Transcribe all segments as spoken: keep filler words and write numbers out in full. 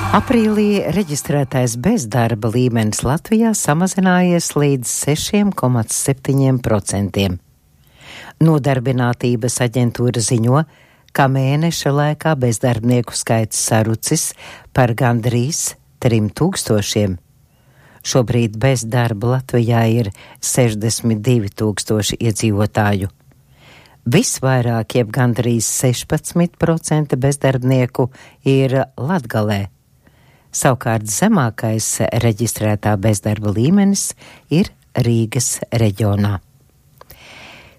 Aprīlī reģistrētais bezdarba līmenis Latvijā samazinājies līdz seši komats septiņi procenti. Nodarbinātības aģentūra ziņo, ka mēneša laikā bezdarbnieku skaits sarucis par gandrīz trim tūkstošiem. Šobrīd bez darba Latvijā ir sešdesmit divi tūkstoši iedzīvotāju. Visvairāk, jeb gandrīz sešpadsmit procenti bezdarbnieku ir Latgalē. Savukārt zemākais reģistrētā bezdarba līmenis ir Rīgas reģionā.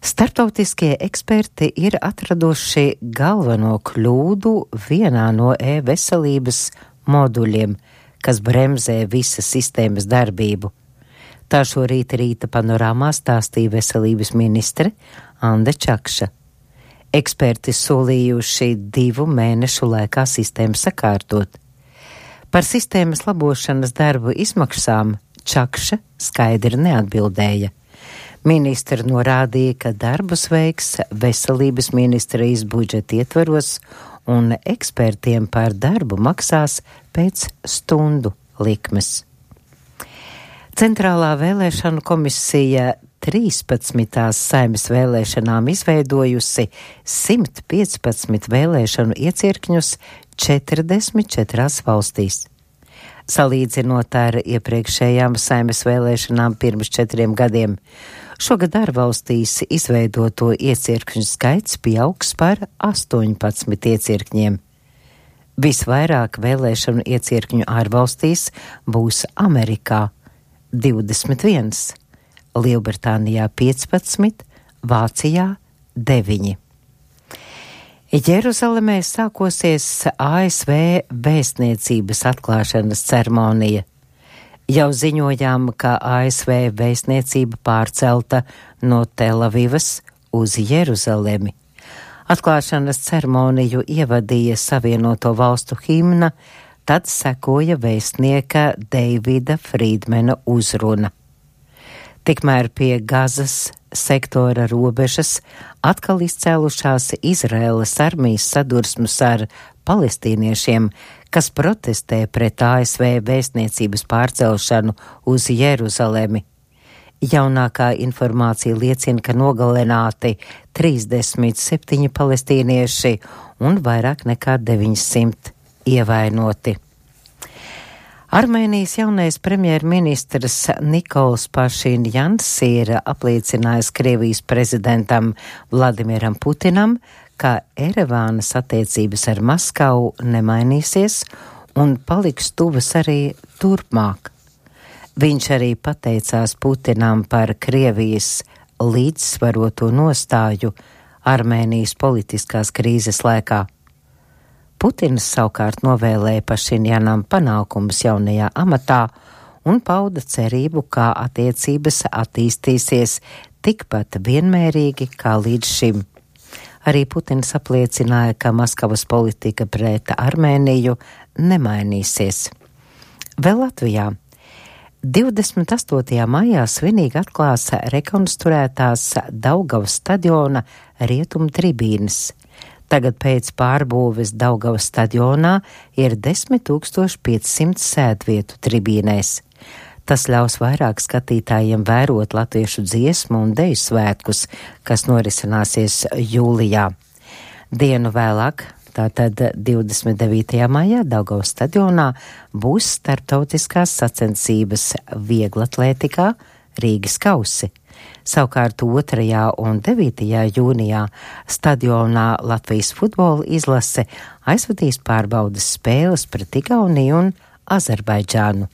Starptautiskie eksperti ir atraduši galveno kļūdu vienā no e-veselības moduļiem, kas bremzē visas sistēmas darbību. Tā šorīt rīta panorāmā stāstīja veselības ministre Ande Čakša. Eksperti solījuši divu mēnešu laikā sistēmu sakārtot. Par sistēmas labošanas darbu izmaksām Čakša skaidri neatbildēja. Ministra norādīja, ka darbus veiks veselības ministrijas budžeta ietvaros un ekspertiem par darbu maksās pēc stundu likmes. Centrālā vēlēšanu komisija trīspadsmitās Saeimas vēlēšanām izveidojusi simt piecpadsmit vēlēšanu iecirkņus četrdesmit četrās valstīs. Salīdzinot ar iepriekšējām Saeimas vēlēšanām pirms četriem gadiem, šogad ārvalstīs izveidoto iecirkņu skaits pieaugs par astoņpadsmit iecirkņiem. Visvairāk vēlēšanu iecirkņu ārvalstīs būs Amerikā divdesmit viens, Lielbritānijā piecpadsmit, Vācijā deviņi. Jeruzalemē sākosies A S V vēstniecības atklāšanas ceremonija. Jau ziņojām, ka A S V vēstniecība pārcelta no Telavivas uz Jeruzalemi. Atklāšanas ceremoniju ievadīja Savienoto valstu himna, tad sekoja vēstnieka Deivida Frīdmena uzruna. Tikmēr pie Gazas sektora robežas atkal izcēlušās Izraēlas armijas sadursmes ar palestīniešiem, kas protestē pret A S V vēstniecības pārcelšanu uz Jeruzalemi. Jaunākā informācija liecina, ka nogalināti trīsdesmit septiņi palestīnieši un vairāk nekā deviņsimt ievainoti. Armēnijas jaunais premjerministrs Nikols Pašinjans ir apliecinājis Krievijas prezidentam Vladimiram Putinam, ka Erevānas attiecības ar Maskavu nemainīsies un paliks tuvas arī turpmāk. Viņš arī pateicās Putinam par Krievijas līdzsvaroto nostāju Armēnijas politiskās krīzes laikā. Putins savukārt novēlēja Pašinjanam panākumus jaunajā amatā un pauda cerību, kā attiecības attīstīsies tikpat vienmērīgi kā līdz šim. Arī Putins apliecināja, ka Maskavas politika pret Armēniju nemainīsies. Vēl Latvijā divdesmit astotajā maijā svinīgi atklās rekonstruētās Daugavas stadiona rietumu tribīnes. Tagad pēc pārbūves Daugavas stadionā ir desmit tūkstoši piecsimt sēdvietu tribīnēs. Tas ļaus vairāk skatītājiem vērot latviešu dziesmu un deju svētkus, kas norisināsies jūlijā. Dienu vēlāk, tātad divdesmit devītajā maijā, Daugavas stadionā būs starptautiskās sacensības vieglatlētikā Rīgas kausi. Savukārt otrajā un devītajā jūnijā stadionā Latvijas futbola izlase aizvadīs pārbaudes spēles pret Igauniju un Azerbaidžānu.